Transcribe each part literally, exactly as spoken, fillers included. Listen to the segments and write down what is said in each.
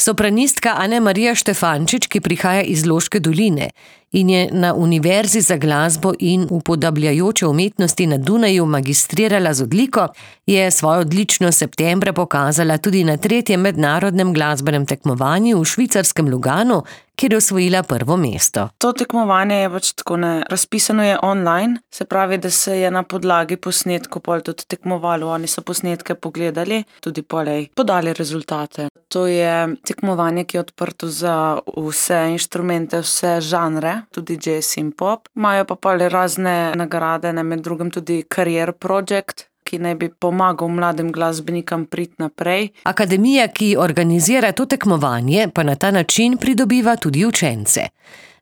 Sopranistka Ane-Marija Štefančič, ki prihaja iz Loške doline in je na Univerzi za glasbo in upodabljajoče umetnosti na Dunaju magistrirala z odliko, je svojo odličnost septembra pokazala tudi na tretjem mednarodnem glasbenem tekmovanju v švicarskem Luganu, kjer je osvojila prvo mesto. To tekmovanje je pač tako ne, razpisano je online, se pravi, da se je na podlagi posnetkov pol tudi tekmovalo, oni so posnetke pogledali, tudi polej podali rezultate. To je tekmovanje, ki je odprto za vse inštrumente, vse žanre, tudi jazz in pop. Imajo pa pol razne nagrade, ne, med drugim tudi Career Project, ki naj bi pomagal mladim glasbenikom priti naprej. Akademija, ki organizira to tekmovanje, pa na ta način pridobiva tudi učence.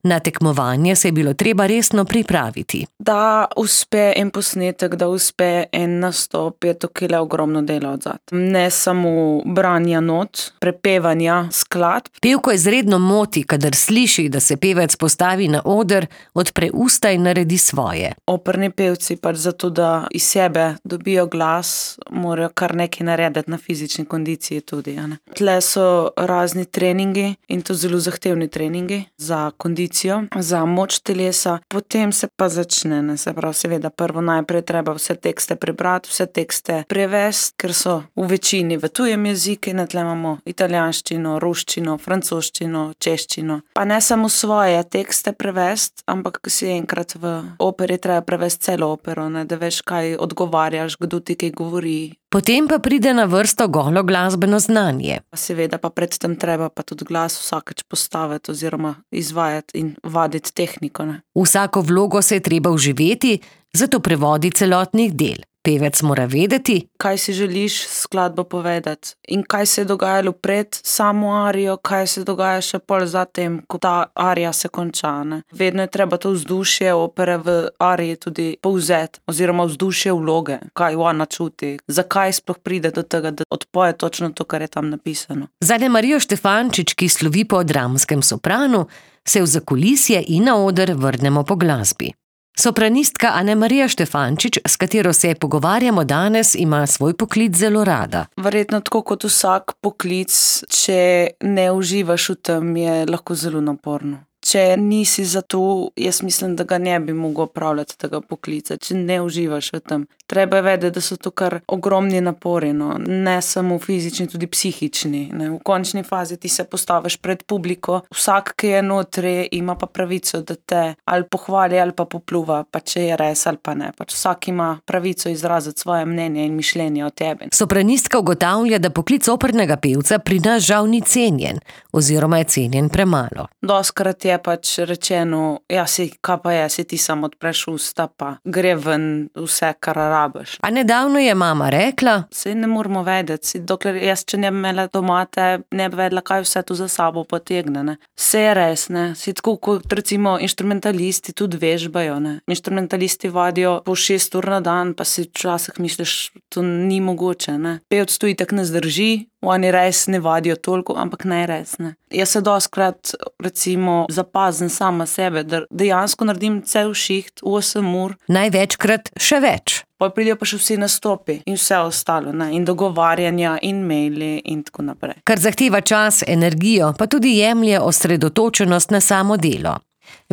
Na tekmovanje se je bilo treba resno pripraviti. Da uspe en posnetek, da uspe en nastop, je tukaj ogromno dela odzad. Ne samo branja not, prepevanja skladb. Pevko izredno moti, kadar sliši, da se pevec postavi na oder, odpre usta in naredi svoje. Operni pevci pač zato, da iz sebe dobijo glas, morajo kar nekaj narediti na fizični kondiciji tudi. Ja, ne. Tle so razni treningi in to zelo zahtevni treningi za kondicijo, za moč telesa, potem se pa začne, ne, se pravi, seveda prvo najprej treba vse tekste prebrati, vse tekste prevesti, ker so v večini v tujem jeziku, in tle imamo italijanščino, ruščino, francoščino, češčino. Pa ne samo svoje tekste prevesti, ampak si enkrat v operi treba prevesti celo opero, ne, da veš, kaj odgovarjaš, kdo ti kaj govori. Potem pa pride na vrsto golo glasbeno znanje. Seveda pa predtem treba pa tudi glas vsakeč postaviti oziroma izvajati in vaditi tehniko. Ne. Vsako vlogo se je treba vživeti, zato prevodi celotnih del. Pevec mora vedeti, kaj si želiš skladbo povedati in kaj se je dogajalo pred samo arijo, kaj se dogaja še pol zatem, ko ta arija se konča. Ne. Vedno je treba to vzdušje opere v ariji tudi povzeti, oziroma vzdušje vloge, kaj ona čuti, zakaj sploh pride do tega, da odpoje točno to, kar je tam napisano. Za Ane-Marijo Štefančič, ki slovi po dramskem sopranu, se v zakulisje in na oder vrnemo po glasbi. Sopranistka Ane-Marija Štefančič, s katero se pogovarjamo danes, ima svoj poklic zelo rada. Verjetno tako kot vsak poklic, če ne uživaš v tem, je lahko zelo naporno. Če nisi za to, jaz mislim, da ga ne bi mogel opravljati tega poklica, če ne uživaš v tem. Treba je vedeti, da so to kar ogromni napori, no. Ne samo fizični, tudi psihični. Ne. V končni fazi ti se postaviš pred publiko, vsak, ki je notri, ima pa pravico, da te ali pohvali ali pa popluva, pa če je res ali pa ne. Pač vsak ima pravico izraziti svoje mnenje in mišljenje o tebi. Sopranistka ugotavlja, da poklic opernega pevca pri nas žal ni cenjen, oziroma je cenjen premalo. Doskrat je pač rečeno, ja, si, kaj pa je, si ti samo odpreš usta, pa gre ven vse, kar rabiš. A nedavno je mama rekla, saj ne moramo vedeti, si, dokler jaz, če ne bi imela doma, te ne bi vedela, kaj vse tu za sabo potegne, ne. Vse je res, ne, si tako, kot recimo inštrumentalisti tudi vežbajo, ne. Inštrumentalisti vadijo po šest ur na dan, pa si včasih misliš, to ni mogoče, ne. Pevec tu itak ne zdrži, oni res ne vadijo toliko, ampak ne res, ne. Jaz se doskrat, recimo, zapazim sama sebe, da dejansko naredim cel šiht, osem ur. Največkrat še več. Pa pridejo pa še vsi nastopi in vse ostalo, ne, in dogovarjanja in maili in tako naprej. Kar zahteva čas, energijo, pa tudi jemlje osredotočenost na samo delo.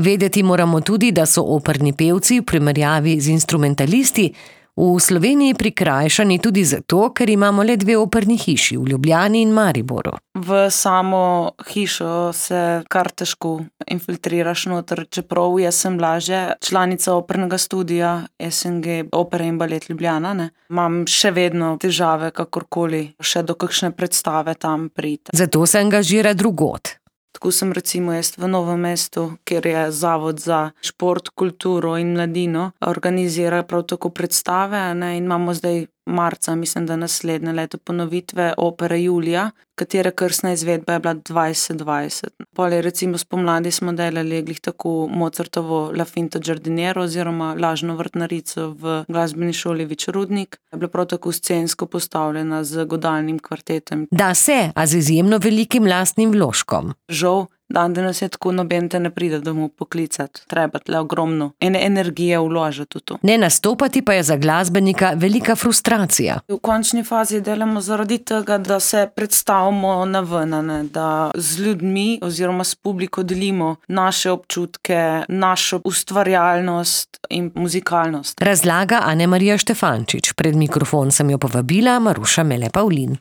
Vedeti moramo tudi, da so operni pevci v primerjavi z instrumentalisti v Sloveniji prikrajšani tudi zato, ker imamo le dve operni hiši, v Ljubljani in Mariboru. V samo hišo se kar težko infiltriraš noter, čeprav jaz sem lažje članica opernega studia S N G Opera in Balet Ljubljana, ne. Imam še vedno težave, kakorkoli, še do kakšne predstave tam priti. Zato se angažira drugod. Tako sem recimo jaz v Novem mestu, kjer je Zavod za šport, kulturo in mladino, organizira prav tako predstave, ne, in imamo zdaj marca, mislim, da naslednje leto ponovitve opere Julija, katere krstna izvedba je bila dvajset dvajset. Pol je recimo spomladi smo delali glih tako Mozartovo La Finta Giardiniera oziroma Lažno vrtnarico v glasbeni šoli Vič Rudnik. Je bila prav tako scensko postavljena z godalnim kvartetom. Da se, a z izjemno velikim lastnim vložkom. Žal Dan danes je tako, noben te ne pride domov poklicati. Treba tle ogromno ene energije vložiti v to. Ne nastopati pa je za glasbenika velika frustracija. V končni fazi delamo zaradi tega, da se predstavimo na ven, ne? Da z ljudmi oziroma s publiko delimo naše občutke, našo ustvarjalnost in muzikalnost. Razlaga Ane Marija Štefančič. Pred mikrofon sem jo povabila Maruša Mele Pavlin.